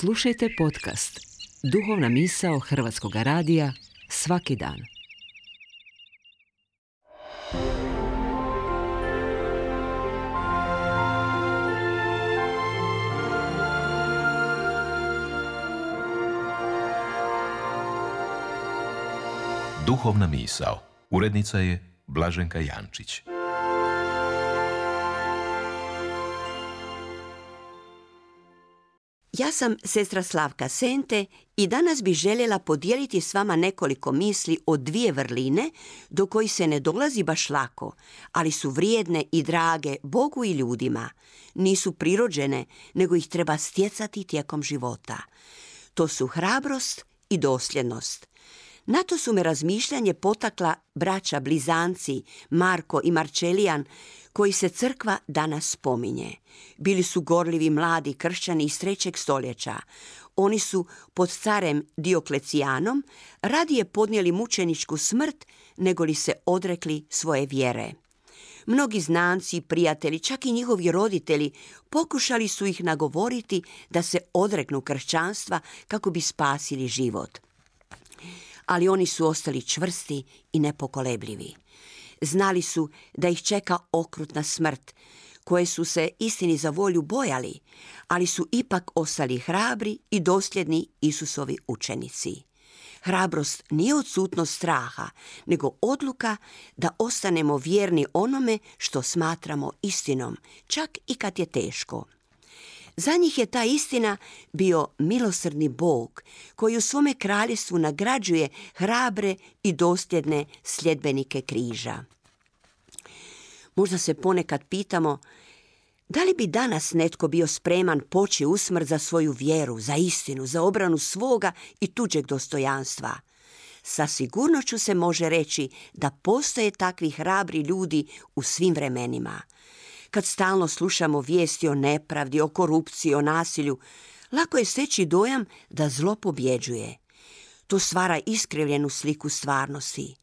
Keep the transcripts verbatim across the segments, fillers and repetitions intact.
Slušajte podcast Duhovna misao Hrvatskog radija svaki dan. Duhovna misao. Urednica je Blaženka Jančić. Ja sam sestra Slavka Sente i danas bih željela podijeliti s vama nekoliko misli o dvije vrline do kojih se ne dolazi baš lako, ali su vrijedne i drage Bogu i ljudima. Nisu prirođene, nego ih treba stjecati tijekom života. To su hrabrost i dosljednost. Na to su me razmišljanje potakla braća blizanci Marko i Marčelijan, koji se crkva danas spominje. Bili su gorljivi mladi kršćani iz trećeg stoljeća. Oni su pod carem Dioklecijanom radije podnijeli mučeničku smrt nego li se odrekli svoje vjere. Mnogi znanci i prijatelji, čak i njihovi roditelji, pokušali su ih nagovoriti da se odreknu kršćanstva kako bi spasili život. Ali oni su ostali čvrsti i nepokolebljivi. Znali su da ih čeka okrutna smrt, koje su se istini za volju bojali, ali su ipak ostali hrabri i dosljedni Isusovi učenici. Hrabrost nije odsutnost straha, nego odluka da ostanemo vjerni onome što smatramo istinom, čak i kad je teško. Za njih je ta istina bio milosrdni Bog koji u svome kraljestvu nagrađuje hrabre i dosljedne sljedbenike križa. Možda se ponekad pitamo da li bi danas netko bio spreman poći u smrt za svoju vjeru, za istinu, za obranu svoga i tuđeg dostojanstva. Sa sigurnošću se može reći da postoje takvi hrabri ljudi u svim vremenima. Kad stalno slušamo vijesti o nepravdi, o korupciji, o nasilju, lako je steći dojam da zlo pobjeđuje. To stvara iskrivljenu sliku stvarnosti.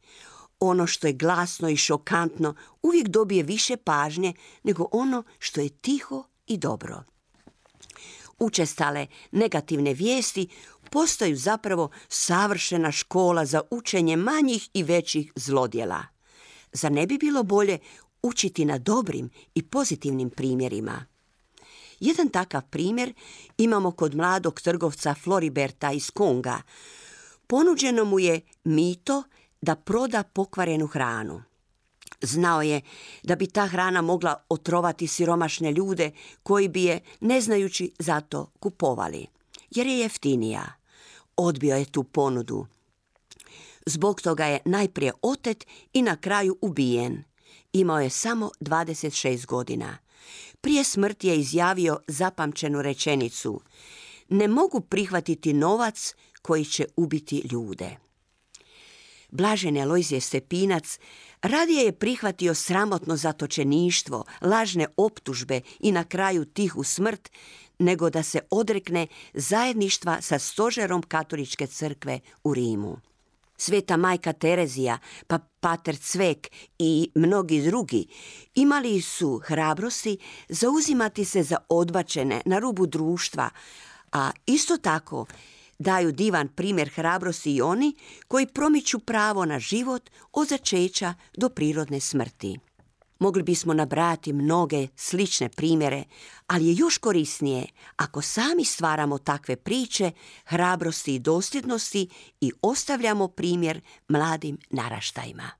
Ono što je glasno i šokantno uvijek dobije više pažnje nego ono što je tiho i dobro. Učestale negativne vijesti postaju zapravo savršena škola za učenje manjih i većih zlodjela. Zar ne bi bilo bolje učiti na dobrim i pozitivnim primjerima? Jedan takav primjer imamo kod mladog trgovca Floriberta iz Konga. Ponuđeno mu je mito da proda pokvarenu hranu. Znao je da bi ta hrana mogla otrovati siromašne ljude koji bi je, ne znajući, zato kupovali, jer je jeftinija. Odbio je tu ponudu. Zbog toga je najprije otet i na kraju ubijen. Imao je samo dvadeset šest godina. Prije smrti je izjavio zapamćenu rečenicu: ne mogu prihvatiti novac koji će ubiti ljude. Blaženi Alojzije Stepinac radije je prihvatio sramotno zatočeništvo, lažne optužbe i na kraju tihu smrt, nego da se odrekne zajedništva sa stožerom katoličke crkve u Rimu. Sveta majka Terezija, pa pater Cvek i mnogi drugi imali su hrabrosti zauzimati se za odbačene na rubu društva, a isto tako daju divan primjer hrabrosti i oni koji promiču pravo na život od začeća do prirodne smrti. Mogli bismo nabrajati mnoge slične primjere, ali je još korisnije ako sami stvaramo takve priče hrabrosti i dosljednosti i ostavljamo primjer mladim naraštajima.